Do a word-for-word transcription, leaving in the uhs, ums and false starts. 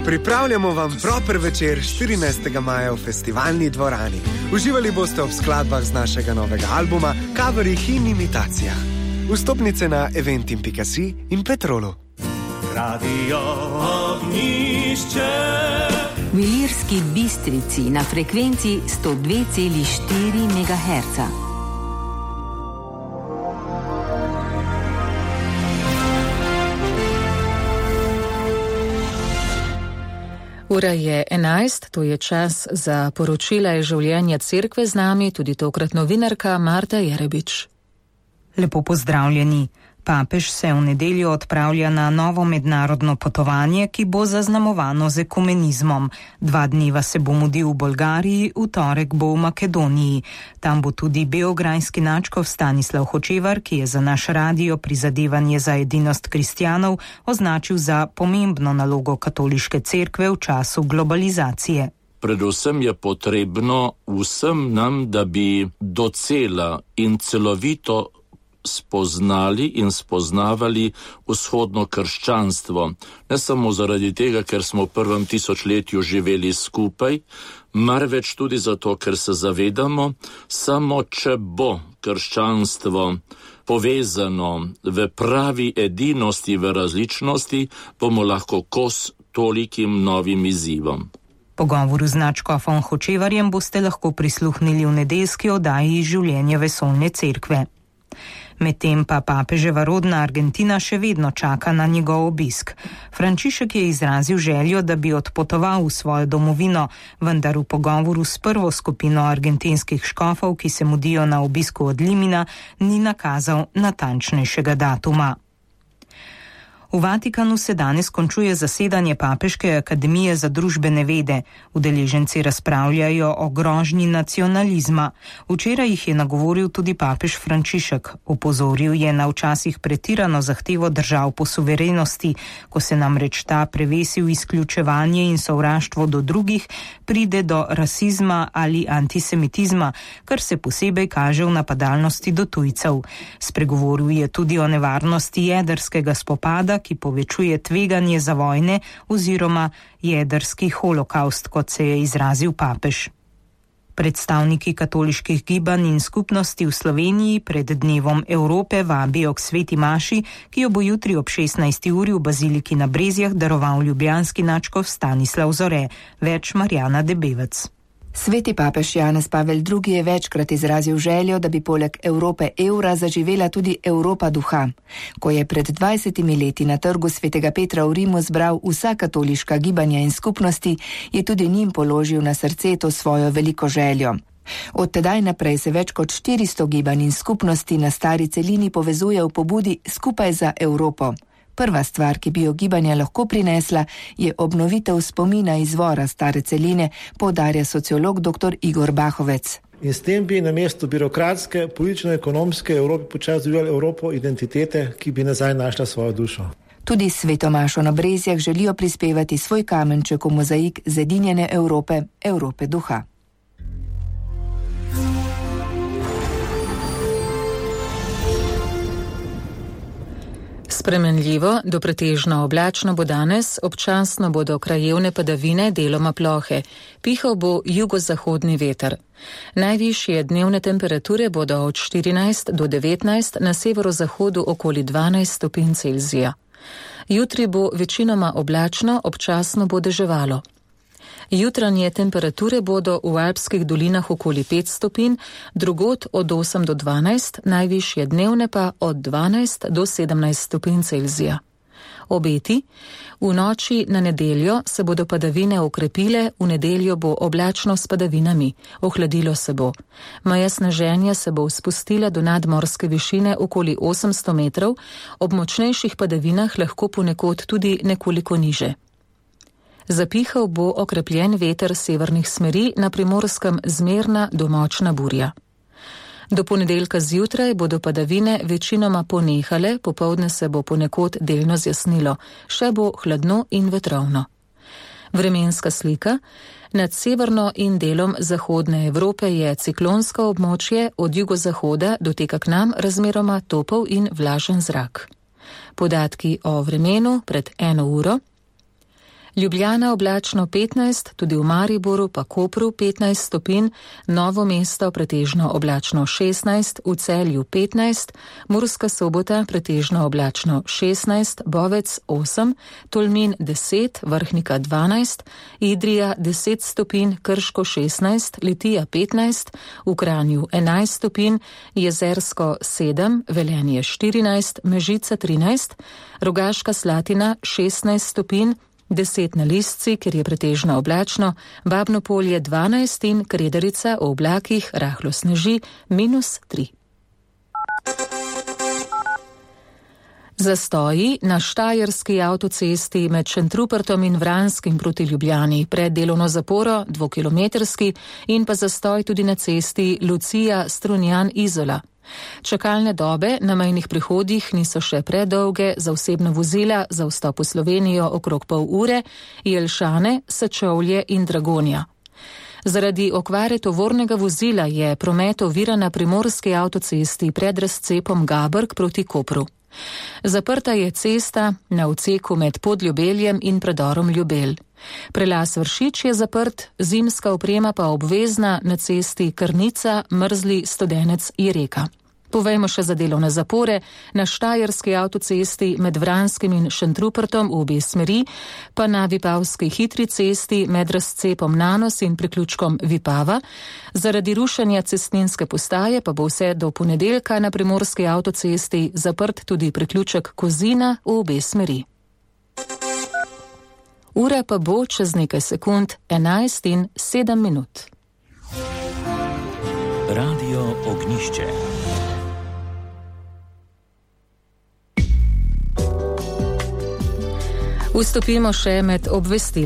Pripravljamo vam proper večer štirinajstega maja v festivalni dvorani. Uživali boste ob skladbah z našega novega albuma, coverih in imitacijah. Vstopnice na eventim pika si in Petrolu. Radio Ognjišče. V Ilirski Bistrici na frekvenci sto dve celi štiri megaherca. Ura je enajst, to je čas za poročila iz življenja cerkve, z nami tudi tokrat novinarka Marta Jerebič. Lepo pozdravljeni. Papež se v nedeljo odpravlja na novo mednarodno potovanje, ki bo zaznamovano z ekumenizmom. Dva dneva se bo mudil v Bolgariji, v torek bo v Makedoniji. Tam bo tudi beograjski nadškof Stanislav Hočevar, ki je za naš radio Prizadevanje za edinost kristjanov označil za pomembno nalogo katoliške cerkve v času globalizacije. Predvsem je potrebno vsem nam, da bi docela in celovito spoznali in spoznavali vzhodno krščanstvo. Ne samo zaradi tega, ker smo v prvem tisočletju živeli skupaj, marveč tudi zato, ker se zavedamo, samo če bo krščanstvo povezano v pravi edinosti, v različnosti, bomo lahko kos tolikim novim izzivom. Pogovoru z nadškofom Hočevarjem boste lahko prisluhnili v nedeljski oddaji Življenje vesoljne cerkve. Medtem pa papeževa rodna Argentina še vedno čaka na njegov obisk. Frančišek je izrazil željo, da bi odpotoval v svojo domovino, vendar v pogovoru s prvo skupino argentinskih škofov, ki se mudijo na obisku od Limina, ni nakazal natančnejšega datuma. V Vatikanu se danes končuje zasedanje Papeške akademije za družbene vede. Udeleženci razpravljajo o grožnji nacionalizma. Včeraj jih je nagovoril tudi papež Frančišek. Opozoril je na včasih pretirano zahtevo držav po suverenosti, ko se namreč ta prevesi v izključevanje in sovraštvo do drugih, pride do rasizma ali antisemitizma, kar se posebej kaže v napadalnosti do tujcev. Spregovoril je tudi o nevarnosti jedrskega spopada, ki povečuje tveganje za vojne oziroma jedrski holokaust, kot se je izrazil papež. Predstavniki katoliških gibanj in skupnosti v Sloveniji pred Dnevom Evrope vabijo k sveti maši, ki jo bo jutri ob šestnajsti uri v baziliki na Brezjah daroval ljubljanski nadškof Stanislav Zore. Več Marjana Debevec. Sveti papež Janez Pavel drugi je večkrat izrazil željo, da bi poleg Evrope evra zaživela tudi Evropa duha. Ko je pred dvajsetimi leti na trgu svetega Petra v Rimu zbral vsa katoliška gibanja in skupnosti, je tudi njim položil na srce to svojo veliko željo. Od tedaj naprej se več kot štiristo gibanj in skupnosti na stari celini povezuje v pobudi Skupaj za Evropo. Prva stvar, ki bi jo gibanja lahko prinesla, je obnovitev spomina izvora stare celine, poudarja sociolog dr. Igor Bahovec. In s tem bi na mesto birokratske, politično-ekonomske Evrope počasi razvijali Evropo identitete, ki bi nazaj našla svojo dušo. Tudi sveto mašo na Brezjah želijo prispevati svoj kamenček v mozaik zedinjene Evrope, Evrope duha. Spremenljivo do pretežno oblačno bo danes, občasno bodo krajevne padavine, deloma plohe. Pihal bo jugozahodni veter. Najvišje dnevne temperature bodo od štirinajst do devetnajst, na severozahodu okoli dvanajst stopinj Celzija. Jutri bo večinoma oblačno, občasno bo deževalo. Jutranje temperature bodo v alpskih dolinah okoli pet stopinj, drugod od osem do dvanajst, najvišje dnevne pa od dvanajst do sedemnajst stopinj Celzija. Obeti: v noči na nedeljo se bodo padavine okrepile, v nedeljo bo oblačno s padavinami, ohladilo se bo. Meja sneženja se bo spustila do nadmorske višine okoli osemsto metrov, ob močnejših padavinah lahko ponekod tudi nekoliko niže. Zapihal bo okrepljen veter severnih smeri, na Primorskem zmerna do močna burja. Do ponedeljka zjutraj bodo padavine večinoma ponehale, popoldne se bo ponekod delno zjasnilo, še bo hladno in vetrovno. Vremenska slika: nad severno in delom zahodne Evrope je ciklonsko območje, od jugozahoda doteka k nam razmeroma topel in vlažen zrak. Podatki o vremenu pred eno uro: Ljubljana oblačno petnajst, tudi v Mariboru pa Kopru petnajst stopinj, Novo mesto pretežno oblačno šestnajst, v Celju petnajst, Murska Sobota pretežno oblačno šestnajst, Bovec osem, Tolmin deset, Vrhnika dvanajst, Idrija deset stopinj, Krško šestnajst, Litija petnajst, v Kranju enajst stopinj, Jezersko sedem, Velenje štirinajst, Mežica trinajst, Rogaška Slatina šestnajst stopinj, deset na Lisci, ker je pretežno oblačno, Babno Polje dvanajst in Kredarica v oblakih rahlo sneži minus tri. Zastoji na štajerski avtocesti med Šentrupertom in Vranskim proti Ljubljani pred delovno zaporo, dvokilometrski, in pa zastoj tudi na cesti Lucija-Strunjan-Izola. Čakalne dobe na mejnih prehodih niso še predolge, za osebna vozila za vstop v Slovenijo okrog pol ure, Jelšane, Sečovlje in Dragonja. Zaradi okvare tovornega vozila je promet oviran na primorski avtocesti pred razcepom Gabrk proti Kopru. Zaprta je cesta na odseku med Podljubeljem in predorom Ljubelj. Prelaz Vršič je zaprt, zimska oprema pa obvezna na cesti Krnica, Mrzli, Studenec, Jereka. Povejmo še za delovne zapore. Na štajerski avtocesti med Vranskim in Šentrupertom v obe smeri, pa na Vipavski hitri cesti med razcepom Nanos in priključkom Vipava. Zaradi rušenja cestninske postaje pa bo vse do ponedeljka na primorski avtocesti zaprt tudi priključek Kozina v obe smeri. Ura pa bo čez nekaj sekund enajst in sedem minut. Radio Ognišče. Vstopimo še med obvestili.